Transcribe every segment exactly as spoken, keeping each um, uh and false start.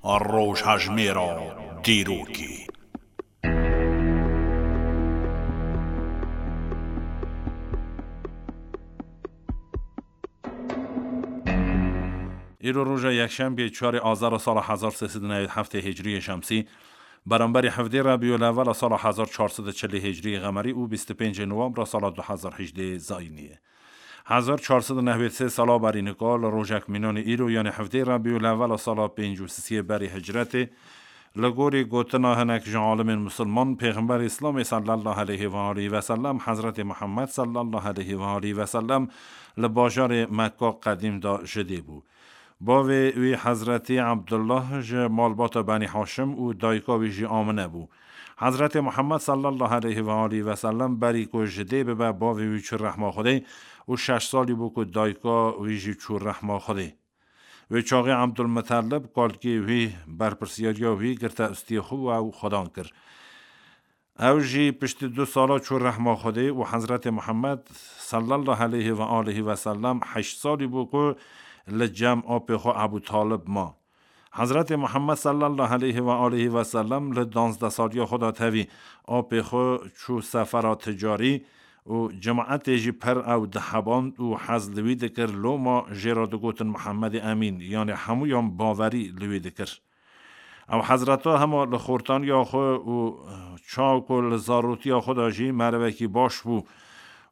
Rojhejmêra dîrokê. Îro roja yekşembê çarê Azara sala hezar sê sed û newêd heftê Hicriyê Şemsî, beramberî hevdê Rebîul Ewwela sala hezar çar sed û çilê Hicriyê Qemerî û bîst û pêncê Nowembra sala du hezar hejdê Zayînî ye. Hezar çar sed û newêd sê sala berî nika li rojek mînanê îro, yanê hevdê Rebîul Ewwela sala pêncî û sisiyê berî hicretê, li gorî gotina hinek ji alimên misilman, Pêxemberê Îslamê sallallahu aleyhi ve aleyhi ve sellem, Hezretê Muhammed sallallahu aleyhi ve aleyhi ve sellem li bajarê Mekka qedîm de ji dê bû. Bavê wî Hezretî Ebdullah ji malbata Benî Haşim û dayika wî jî Amine bû. Hezretê Muhammed sallallahu aleyhi ve aleyhi ve sellem berî ku ji dê bibe, bavê wî çû rehma Xwedê û şeş salî bû ku dayika wî jî çû rehma Xwedê. Wê çaxê Ebdulmutelib, kalkê wî, berpirsiyariya wî girte ustiyê xwe û ew xwedan kir. Ew jî piştî du sala çû rehma Xwedê û Hezretê Muhammed sallallahu aleyhi ve aleyhi ve sellem heşt salî bû ku li cem apê xwe Ebû Talib ma. Hezretê Muhammed sallallahu aleyhi ve aleyhi ve sellem li danzdeh saliya xwe de tevî apê xwe çû sefera ticarî û cemaetê jî pir ew diheband û hez li wî dikir, loma jê re digotin Muhammedê Emîn, yanê hemûyan bawerî li wî dikir. Ew Hezreta hema li xortaniya xwe û çawa ku li zarotiya xwe de jî merivekî baş bû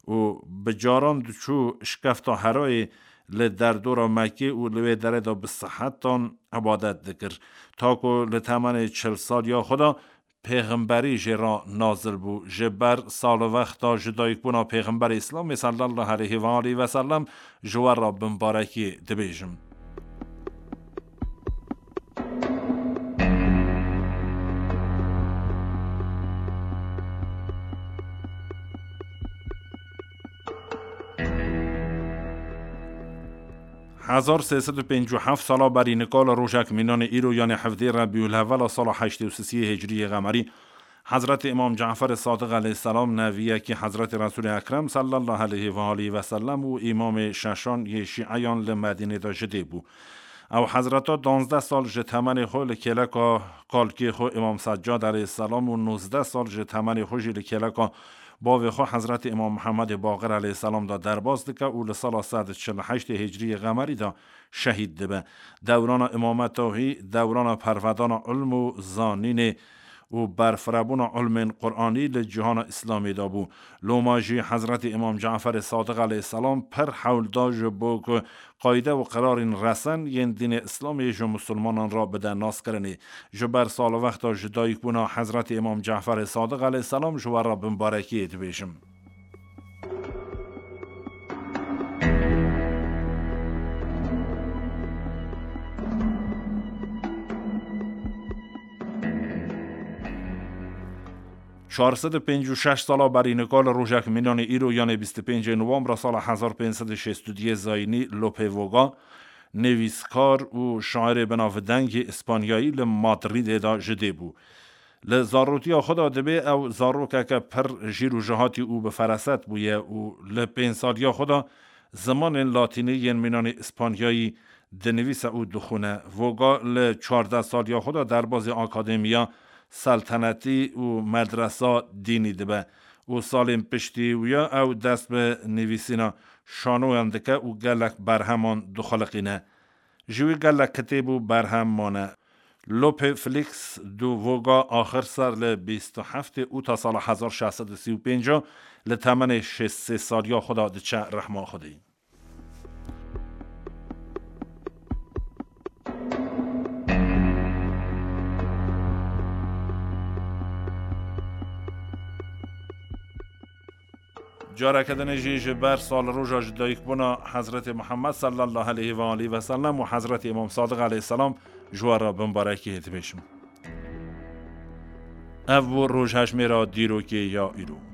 û bi caran diçû şikefta Herayê li derdora Mekkê û li wê derê de bi sihetan ibadet dikir. Ta ku li temenê çil saliya xwe de pêxemberî jê re nazil bû. Ji ber salvexta ji dayikbûna Pêxemberê Îslamê sallallahu aleyhi ve aleyhi ve sellem ji we re bimbarekî dibêjim. Hezar sê sed û pêncî û heft sala berî nika li rojek mînanê îro, yanê hevdê Rebîul Hevela sala heştê û sisiyê Hicriyê Qemerî, Hezretê Îmam Caferê Sadiq aleyhisselam, neviyekî Hezretê Resûlê Ekrem sallallahu aleyhi ve aleyhi ve sellem û îmamê şeşan yê şîeyan li Medînê de ji dê bû. Ew Hezreta danzdeh sal ji temenê xwe li kêleka kalkê xwe Îmam Seccad aleyhisselam û nozdeh sal ji temenê xwe jî li kêleka bavê xwe Hezretê Îmam Mihemedê Baqir aleyhisselam de derbas dike û li sala sed û çil û heştê Hicriyê Qemerî de şehîd dibe. Dewrana îmameta wî dewrana pervedana ilm û zanînê û berfirebûna ilmên Quranî li cîhana Îslamê de bû. Loma jî Hezretê Îmam Caferê Sadiq aleyhisselam pir hewl da ji bo ku qayde û qirarên resen yên dînê Îslamê ji misilmanan re bide naskirinê. Ji ber salvexta ji dayikbûna Hezretê Îmam Caferê Sadiq aleyhisselam ji we re bimbarekiyê dibêjim. Çar sed û pêncî û şeş sala berî nika li rojek mînanê îro, yanê bîst û pêncê Nowembra sala hezar pênc sed û şêst û duyê Zayînî, Lope Voga, nivîskar û şairê binavdengê Îspanyayî li Madrîdê de ji dê bû. Li zarotiya xwe de dibê ew zarokeke pir jîr û jihatî û bi feraset bûye û li pênc saliya xwe de zimanên latînî yên mînanê Îspanyayî dinivîse û dixwîne. Voga li çardeh saliya xwe de derbazê akademiya seltenetî û medresa dînî dibe û salên piştî wî ya ew dest bi nivîsîna şanoyan dike û gelek berheman dixuliqîne. Ji wî gelek kitêb û berhem mane. Lope Felix du Voga axir ser li bîst û heftê ûta sala hezar şeş sed û sî û pênc li temenê şêst sê saliya xwe de diçe rehma Xwedê. Careke dinê jî ji ber salroja ji dayikbûna Hezretê Muhammed sallallahu aleyhi ve aleyhi ve sellem û Hezretê Îmam Sadiq aleyhisselam ji we re bimbarekiyê dibêjim. Ev bû rojhejmêra dîrokê ya îro.